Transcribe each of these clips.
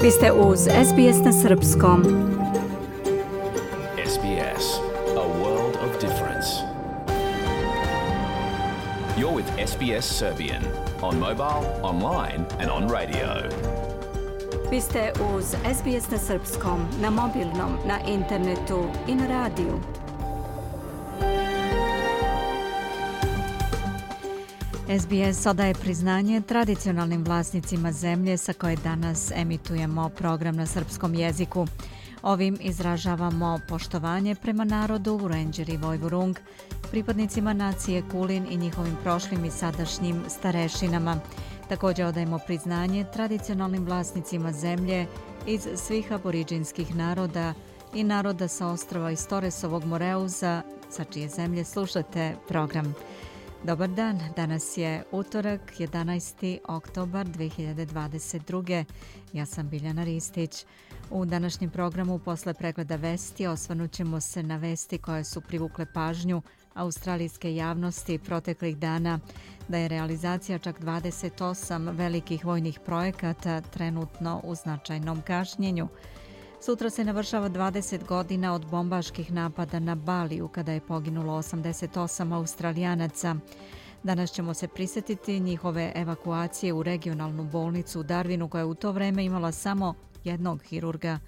Vi ste uz SBS na Srpskom. SBS, a world of difference. You're with SBS Serbian on mobile, online and on radio. Vi ste uz SBS na Srpskom, na mobilnom, na internetu i na radiju. SBS odaje priznanje tradicionalnim vlasnicima zemlje sa koje danas emitujemo program na srpskom jeziku. Ovim izražavamo poštovanje prema narodu Vurenđer i Vojvurung, pripadnicima nacije Kulin i njihovim prošlim i sadašnjim starešinama. Također odajemo priznanje tradicionalnim vlasnicima zemlje iz svih aboriđinskih naroda i naroda sa ostrava iz Toresovog Moreuza, sa čije zemlje slušate program. Dobar dan, danas je utorak, 11. oktobar 2022. Ja sam Biljana Ristić. U današnjem programu posle pregleda vesti osvrnut ćemo se na vesti koje su privukle pažnju australijske javnosti proteklih dana, da je realizacija čak 28 velikih vojnih projekata trenutno u značajnom kašnjenju. Sutra se navršava 20 godina od bombaških napada na Baliju, kada je poginulo 88 Australijanaca. Danas ćemo se prisjetiti njihove evakuacije u regionalnu bolnicu u Darwinu, koja je u to vreme imala samo jednog hirurga.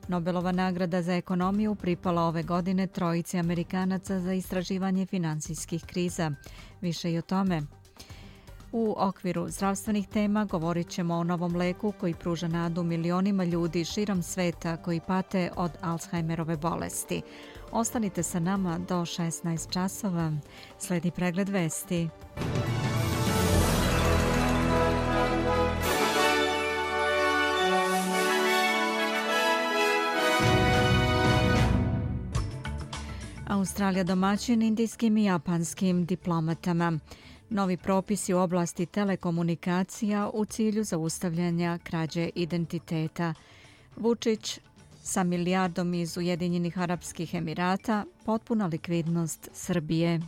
Nobelova nagrada za ekonomiju pripala ove godine trojici Amerikanaca za istraživanje finansijskih kriza. Više i o tome. U okviru zdravstvenih tema govorit ćemo o novom leku koji pruža nadu milionima ljudi širom sveta koji pate od Alzheimerove bolesti. Ostanite sa nama do 16 časova. Sledi pregled vesti. Australija domaćin indijskim i japanskim diplomatama. Novi propisi u oblasti telekomunikacija u cilju zaustavljanja krađe identiteta. Vučić sa milijardom iz Ujedinjenih Arapskih Emirata, potpuna likvidnost Srbije.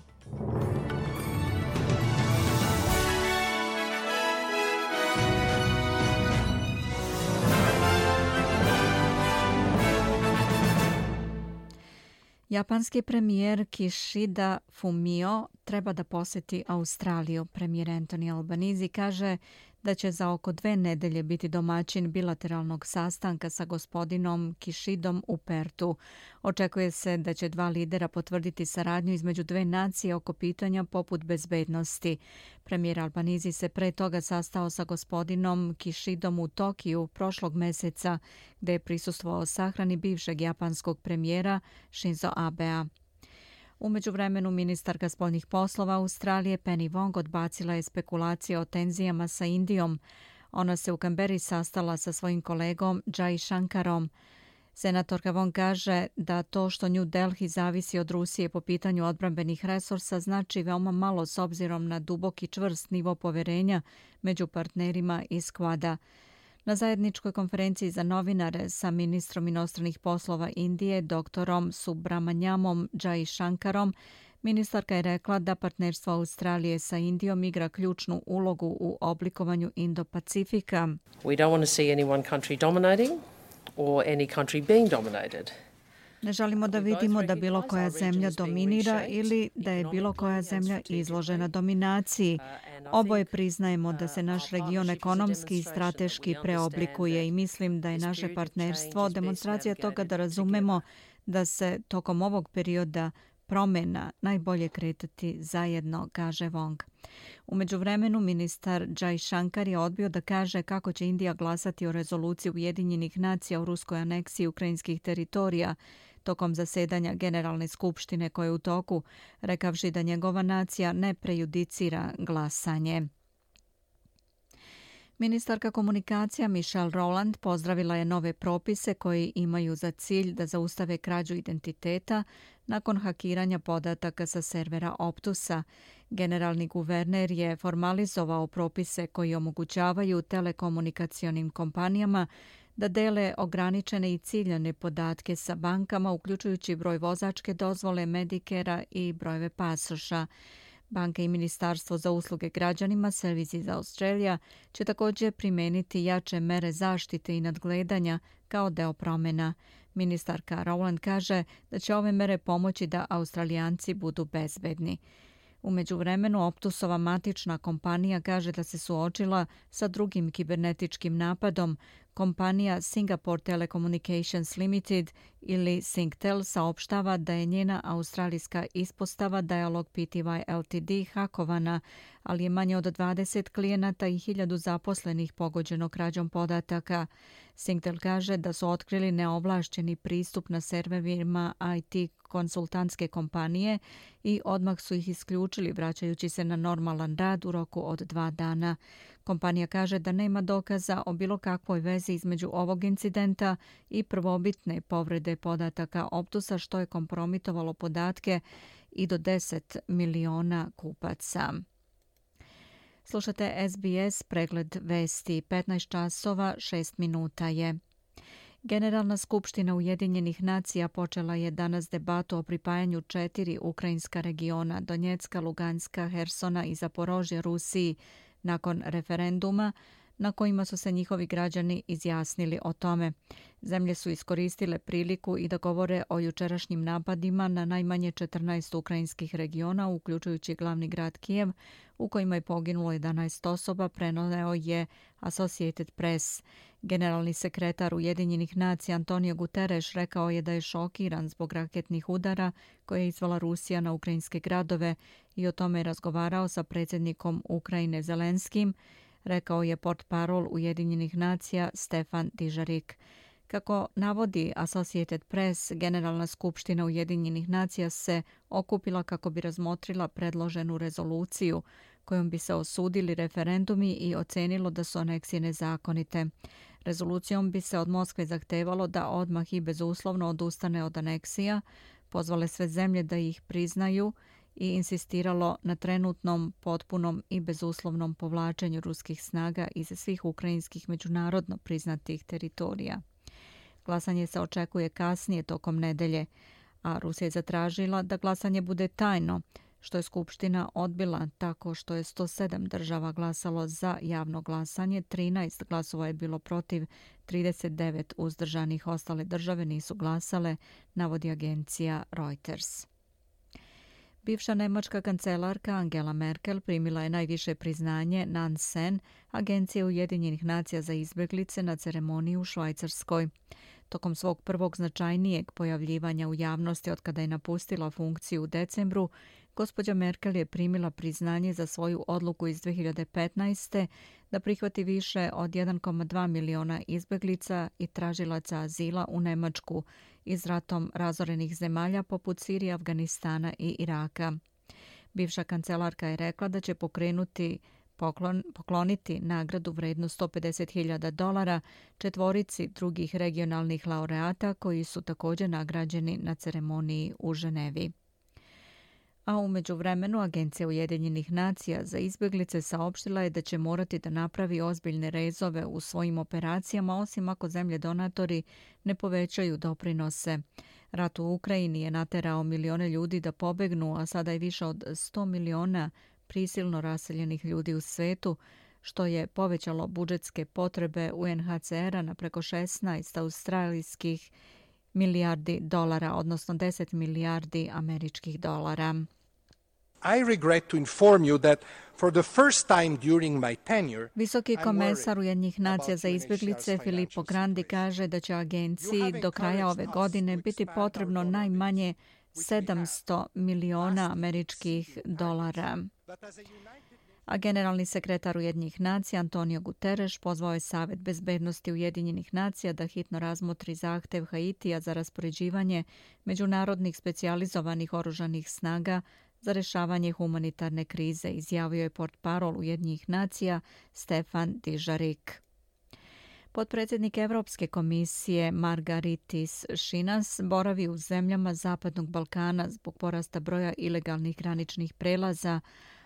Japanski premijer Kishida Fumio treba da posjeti Australiju. Premijer Anthony Albanese kaže da će za oko 2 nedelje biti domaćin bilateralnog sastanka sa gospodinom Kishidom u Pertu. Očekuje se da će 2 lidera potvrditi saradnju između 2 nacije oko pitanja poput bezbednosti. Premijer Albanese se pre toga sastao sa gospodinom Kishidom u Tokiju prošlog meseca, gde je prisustvovao sahrani bivšeg japanskog premijera Shinzo Abea. U međuvremenu ministarka spoljnih poslova Australije Penny Wong odbacila je spekulacije o tenzijama sa Indijom. Ona se u Kamberi sastala sa svojim kolegom Jai Shankarom. Senatorka Wong kaže da to što New Delhi zavisi od Rusije po pitanju odbrambenih resursa znači veoma malo s obzirom na duboki čvrst nivo poverenja među partnerima iz Quada. Na zajedničkoj konferenciji za novinare sa ministrom inostranih poslova Indije, doktorom Subramanyamom Jai Shankarom, ministarka je rekla da partnerstvo Australije sa Indijom igra ključnu ulogu u oblikovanju Indo-Pacifika. We don't want to see any one country dominating or any country being dominated. Ne želimo da vidimo da bilo koja zemlja dominira ili da je bilo koja zemlja izložena dominaciji. Oboje priznajemo da se naš region ekonomski i strateški preoblikuje i mislim da je naše partnerstvo demonstracija toga da razumemo da se tokom ovog perioda promjena najbolje kretati zajedno, kaže Wong. U međuvremenu ministar Jai Shankar je odbio da kaže kako će Indija glasati o rezoluciji Ujedinjenih nacija o ruskoj aneksiji ukrajinskih teritorija tokom zasedanja Generalne skupštine koje je u toku, rekavši da njegova nacija ne prejudicira glasanje. Ministarka komunikacija Michelle Rowland pozdravila je nove propise koji imaju za cilj da zaustave krađu identiteta nakon hakiranja podataka sa servera Optusa. Generalni guverner je formalizovao propise koji omogućavaju telekomunikacionim kompanijama da dele ograničene i ciljane podatke sa bankama, uključujući broj vozačke dozvole, Medikera i brojeve pasoša. Banka i Ministarstvo za usluge građanima Services Australia će također primijeniti jače mere zaštite i nadgledanja kao deo promjena. Ministarka Rowland kaže da će ove mere pomoći da Australijanci budu bezbedni. U međuvremenu Optusova matična kompanija kaže da se suočila sa drugim kibernetičkim napadom. Kompanija Singapore Telecommunications Limited ili Singtel saopštava da je njena australijska ispostava Dialog Pty Ltd hakovana, ali je manje od 20 klijenata i 1000 zaposlenih pogođeno krađom podataka. Singtel kaže da su otkrili neovlašćeni pristup na serverima IT konsultantske kompanije i odmah su ih isključili vraćajući se na normalan rad u roku od 2 dana. Kompanija kaže da nema dokaza o bilo kakvoj vezi između ovog incidenta i prvobitne povrede podataka Optusa, što je kompromitovalo podatke i do 10 miliona kupaca. Slušate SBS pregled vesti. 15 časova 6 minuta je. Generalna skupština Ujedinjenih nacija počela je danas debatu o pripajanju 4 ukrajinska regiona Donjecka, Luganska, Hersona i Zaporožja Rusiji nakon referenduma na kojima su se njihovi građani izjasnili o tome. Zemlje su iskoristile priliku i da govore o jučerašnjim napadima na najmanje 14 ukrajinskih regiona, uključujući glavni grad Kijev, u kojima je poginulo 11 osoba, preneo je Associated Press. Generalni sekretar Ujedinjenih nacija Antonio Guterres rekao je da je šokiran zbog raketnih udara koje je izvala Rusija na ukrajinske gradove i o tome je razgovarao sa predsjednikom Ukrajine Zelenskim, rekao je portparol Ujedinjenih nacija Stefan Dujarric. Kako navodi Associated Press, Generalna skupština Ujedinjenih nacija se okupila kako bi razmotrila predloženu rezoluciju kojom bi se osudili referendumi i ocenilo da su aneksije nezakonite. Rezolucijom bi se od Moskve zahtevalo da odmah i bezuslovno odustane od aneksija, pozvale sve zemlje da ih priznaju i insistiralo na trenutnom, potpunom i bezuslovnom povlačenju ruskih snaga iz svih ukrajinskih međunarodno priznatih teritorija. Glasanje se očekuje kasnije tokom nedelje, a Rusija je zatražila da glasanje bude tajno, što je Skupština odbila tako što je 107 država glasalo za javno glasanje, 13 glasova je bilo protiv, 39 uzdržanih, ostale države nisu glasale, navodi agencija Reuters. Bivša nemačka kancelarka Angela Merkel primila je najviše priznanje Nansen, Agencije Ujedinjenih nacija za izbjeglice, na ceremoniji u Švajcarskoj. Tokom svog prvog značajnijeg pojavljivanja u javnosti od kada je napustila funkciju u decembru, gospođa Merkel je primila priznanje za svoju odluku iz 2015. da prihvati više od 1,2 miliona izbjeglica i tražilaca azila u Nemačku iz ratom razorenih zemalja poput Sirije, Afganistana i Iraka. Bivša kancelarka je rekla da će pokloniti nagradu vrednu $150.000 četvorici drugih regionalnih laureata koji su također nagrađeni na ceremoniji u Ženevi. A u međuvremenu Agencija Ujedinjenih nacija za izbjeglice saopštila je da će morati da napravi ozbiljne rezove u svojim operacijama, osim ako zemlje donatori ne povećaju doprinose. Rat u Ukrajini je naterao milione ljudi da pobegnu, a sada je više od 100 miliona prisilno raseljenih ljudi u svetu, što je povećalo budžetske potrebe UNHCR-a na preko 16 australijskih milijardi dolara, odnosno 10 milijardi američkih dolara. I regret to inform you that for the first time during my tenure, Visoki komesar Ujedinjenih nacija za izbjeglice Filippo Grandi kaže da će agenciji do kraja ove godine biti potrebno najmanje 700 miliona američkih dolara. A generalni sekretar Ujedinjenih nacija Antonio Guterres pozvao je Savet bezbednosti Ujedinjenih nacija da hitno razmotri zahtev Haitija za raspoređivanje međunarodnih specijalizovanih oružanih snaga za rješavanje humanitarne krize, izjavio je portparol Ujedinjenih nacija Stefan Dujarric. Potpredsjednik Evropske komisije Margaritis Šinas boravi u zemljama Zapadnog Balkana zbog porasta broja ilegalnih graničnih prelaza,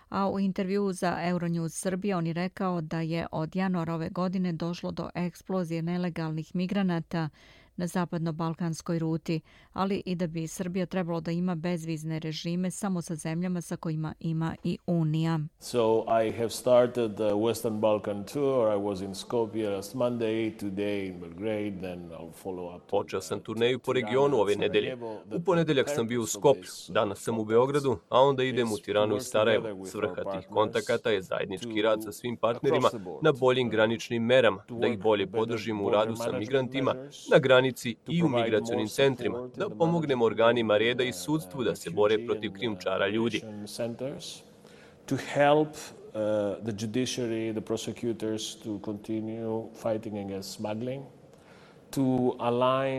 a u intervjuu za Euronews Srbija on je rekao da je od januara ove godine došlo do eksplozije nelegalnih migranata na zapadno-balkanskoj ruti, ali i da bi Srbija trebalo da ima bezvizne režime samo sa zemljama sa kojima ima i Unija. So I have started the Western Balkan tour. I was in Skopje last Monday, today in Belgrade, then I'll follow up. Počeo sam turneju po regionu ove nedelje. U ponedeljak sam bio u Skoplju, danas sam u Beogradu, a onda idem u Tiranu i Sarajevo. Svrha tih kontakata je zajednički rad sa svim partnerima na boljim graničnim merama, da ih bolje podržimo u radu sa migrantima na granici i u migracionim centrima, da pomognemo organima reda i sudstvu da se bore protiv krijumčara ljudi. To help the judiciary, the prosecutors to continue fighting against smuggling.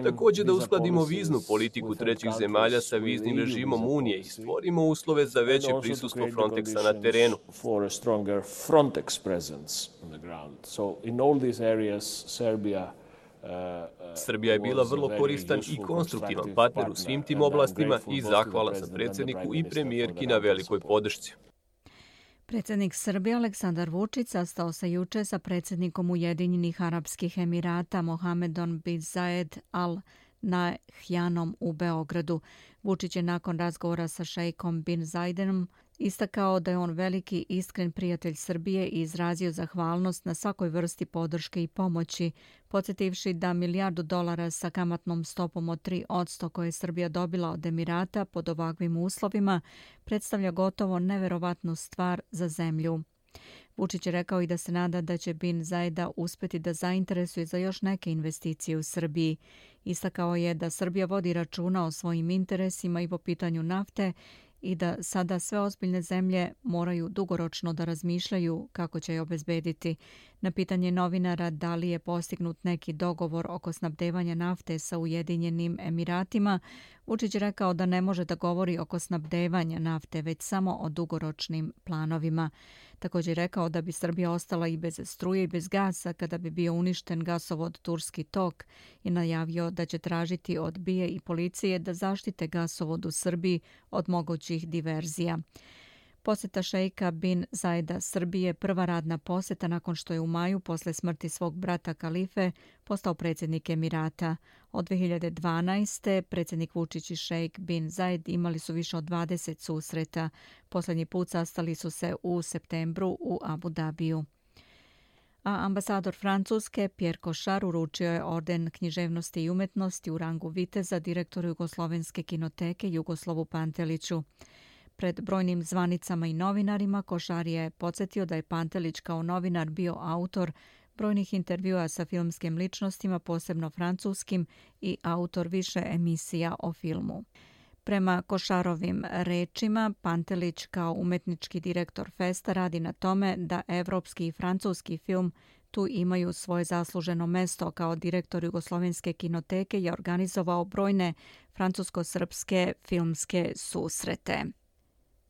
Također da uskladimo viznu politiku trećih zemalja sa viznim režimom Unije i stvorimo uslove za veće prisustvo Frontexa na terenu. Srbija je bila vrlo koristan i konstruktivan partner u svim tim oblastima i zahvalan sam predsjedniku i premijerki na velikoj podršci. Predsjednik Srbije Aleksandar Vučić sastao se juče sa predsjednikom Ujedinjenih Arapskih Emirata Mohamedom bin Zayed Al Nahyanom u Beogradu. Vučić je nakon razgovora sa šejkom bin Zaydom istakao da je on veliki iskren prijatelj Srbije i izrazio zahvalnost na svakoj vrsti podrške i pomoći, podsjetivši da $1 milijardu sa kamatnom stopom od 3% koje je Srbija dobila od Emirata pod ovakvim uslovima predstavlja gotovo neverovatnu stvar za zemlju. Vučić je rekao i da se nada da će bin Zayda uspjeti da zainteresuje za još neke investicije u Srbiji. Istakao je da Srbija vodi računa o svojim interesima i po pitanju nafte i da sada sve ozbiljne zemlje moraju dugoročno da razmišljaju kako će je obezbediti. Na pitanje novinara da li je postignut neki dogovor oko snabdevanja nafte sa Ujedinjenim Emiratima, Vučić je rekao da ne može da govori oko snabdevanja nafte, već samo o dugoročnim planovima. Također je rekao da bi Srbija ostala i bez struje i bez gasa kada bi bio uništen gasovod Turski tok i najavio da će tražiti od BIA i policije da zaštite gasovod u Srbiji od mogućih diverzija. Posjeta šejka bin Zayda Srbije prva radna posjeta nakon što je u maju posle smrti svog brata Kalife postao predsjednik Emirata. Od 2012. predsjednik Vučić i šejk bin Zayed imali su više od 20 susreta. Posljednji put sastali su se u septembru u Abu Dabiju. A ambasador Francuske Pierre Cochard uručio je orden književnosti i umetnosti u rangu viteza direktoru Jugoslovenske kinoteke Jugoslavu Panteliću. Pred brojnim zvanicama i novinarima Košar je podsjetio da je Pantelić kao novinar bio autor brojnih intervjua sa filmskim ličnostima, posebno francuskim, i autor više emisija o filmu. Prema Košarovim rečima, Pantelić kao umetnički direktor festa radi na tome da evropski i francuski film tu imaju svoje zasluženo mesto. Kao direktor Jugoslovenske kinoteke je organizovao brojne francusko-srpske filmske susrete.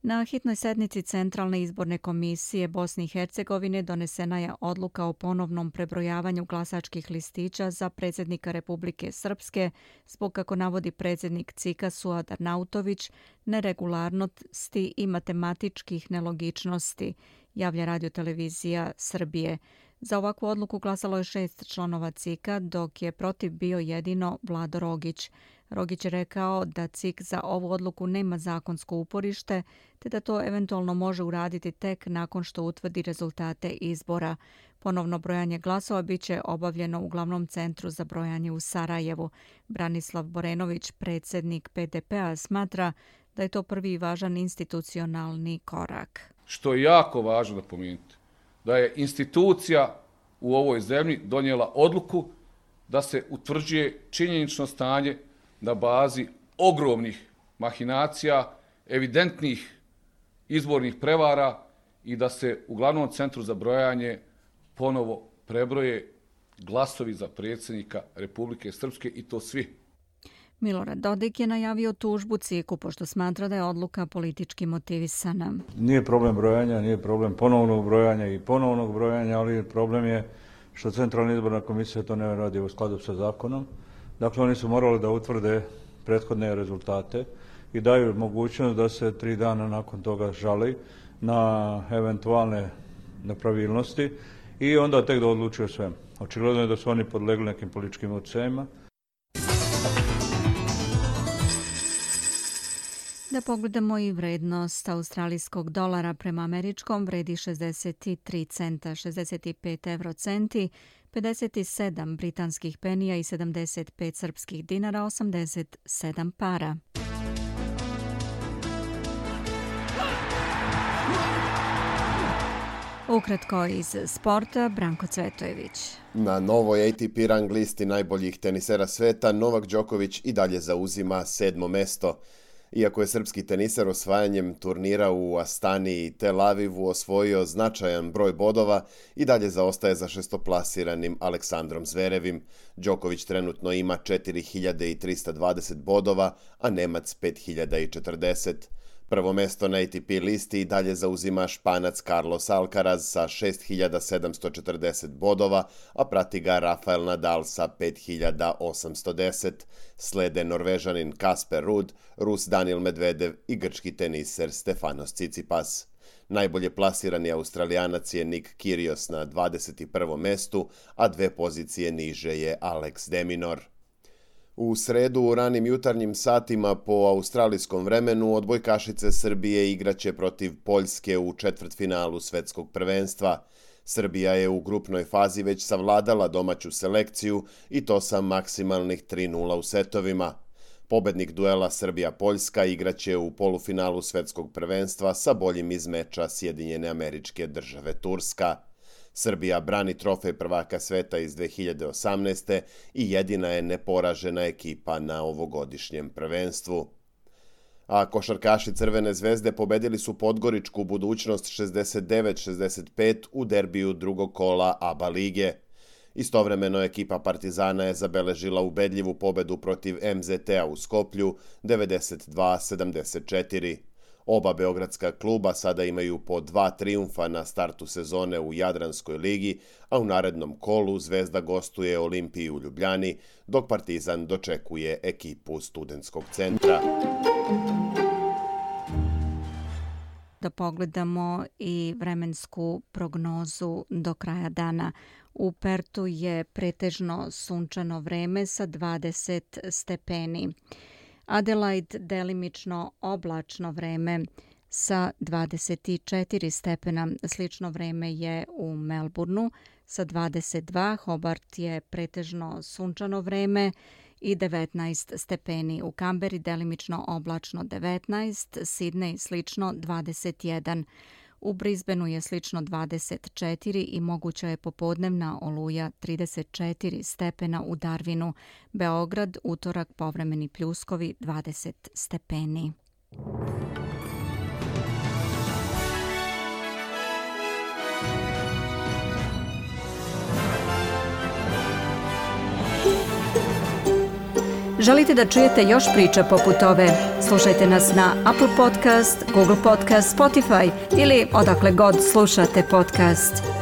Na hitnoj sednici Centralne izborne komisije Bosne i Hercegovine donesena je odluka o ponovnom prebrojavanju glasačkih listića za predsjednika Republike Srpske zbog, kako navodi predsjednik CIK-a Suad Arnautović, neregularnosti i matematičkih nelogičnosti, javlja radiotelevizija Srbije. Za ovakvu odluku glasalo je 6 članova CIK-a, dok je protiv bio jedino Vlado Rogić. Rogić je rekao da CIK za ovu odluku nema zakonsko uporište, te da to eventualno može uraditi tek nakon što utvrdi rezultate izbora. Ponovno brojanje glasova biće obavljeno u glavnom centru za brojanje u Sarajevu. Branislav Borenović, predsjednik PDP-a, smatra da je to prvi važan institucionalni korak. Što je jako važno da pomenuti, da je institucija u ovoj zemlji donijela odluku da se utvrđuje činjenično stanje na bazi ogromnih mahinacija, evidentnih izbornih prevara i da se u glavnom centru za brojanje ponovo prebroje glasovi za predsjednika Republike Srpske i to svi. Milorad Dodik je najavio tužbu CIK-u pošto smatra da je odluka politički motivisana. Nije problem brojanja, nije problem ponovnog brojanja i ponovnog brojanja, ali problem je što Centralna izborna komisija to ne radi u skladu sa zakonom. Dakle, oni su morali da utvrde prethodne rezultate i daju mogućnost da se 3 dana nakon toga žali na eventualne nepravilnosti i onda tek da odlučuju sve. Očigledno je da su oni podlegli nekim političkim utjecajima. Da pogledamo i vrednost australijskog dolara prema američkom, vredi 63 centa, 65 eurocenti, 57 britanskih penija i 75 srpskih dinara, 87 para. Ukratko iz sporta, Branko Cvetojević. Na novoj ATP rang listi najboljih tenisera sveta Novak Đoković i dalje zauzima 7. mesto. Iako je srpski teniser osvajanjem turnira u Astani i Tel Avivu osvojio značajan broj bodova, i dalje zaostaje za šestoplasiranim Aleksandrom Zverevim. Đoković trenutno ima 4320 bodova, a Nemac 5040. Prvo mesto na ATP listi i dalje zauzima Španac Carlos Alcaraz sa 6740 bodova, a prati ga Rafael Nadal sa 5810. Slede Norvežanin Kasper Ruud, Rus Daniil Medvedev i grčki teniser Stefanos Tsitsipas. Najbolje plasirani Australijanac je Nick Kyrgios na 21. mestu, a 2 pozicije niže je Alex de Minaur. U sredu u ranim jutarnjim satima po australijskom vremenu odbojkašice Srbije igraće protiv Poljske u četvrtfinalu svetskog prvenstva. Srbija je u grupnoj fazi već savladala domaću selekciju i to sa maksimalnih 3:0 u setovima. Pobednik duela Srbija-Poljska igraće u polufinalu svetskog prvenstva sa boljim iz meča Sjedinjene Američke Države Turska. Srbija brani trofej prvaka sveta iz 2018. i jedina je neporažena ekipa na ovogodišnjem prvenstvu. A košarkaši Crvene zvezde pobedili su Podgoričku Budućnost 69-65 u derbiju drugog kola ABA lige. Istovremeno ekipa Partizana je zabeležila ubedljivu pobedu protiv MZT-a u Skoplju 92-74. Oba beogradska kluba sada imaju po 2 trijumfa na startu sezone u Jadranskoj ligi, a u narednom kolu Zvezda gostuje Olimpiji u Ljubljani, dok Partizan dočekuje ekipu Studentskog centra. Da pogledamo i vremensku prognozu do kraja dana. U Pertu je pretežno sunčano vreme sa 20 stepeni. Adelaide delimično oblačno vreme sa 24 stepena. Slično vreme je u Melbourneu sa 22. Hobart je pretežno sunčano vreme i 19 stepeni. U Kamberi delimično oblačno 19, Sidney slično 21. U Brisbaneu je slično 24 i moguća je popodnevna oluja 34 stepena u Darwinu. Beograd, utorak, povremeni pljuskovi 20 stepeni. Želite da čujete još priča poput ove? Slušajte nas na Apple Podcast, Google Podcast, Spotify ili odakle god slušate podcast.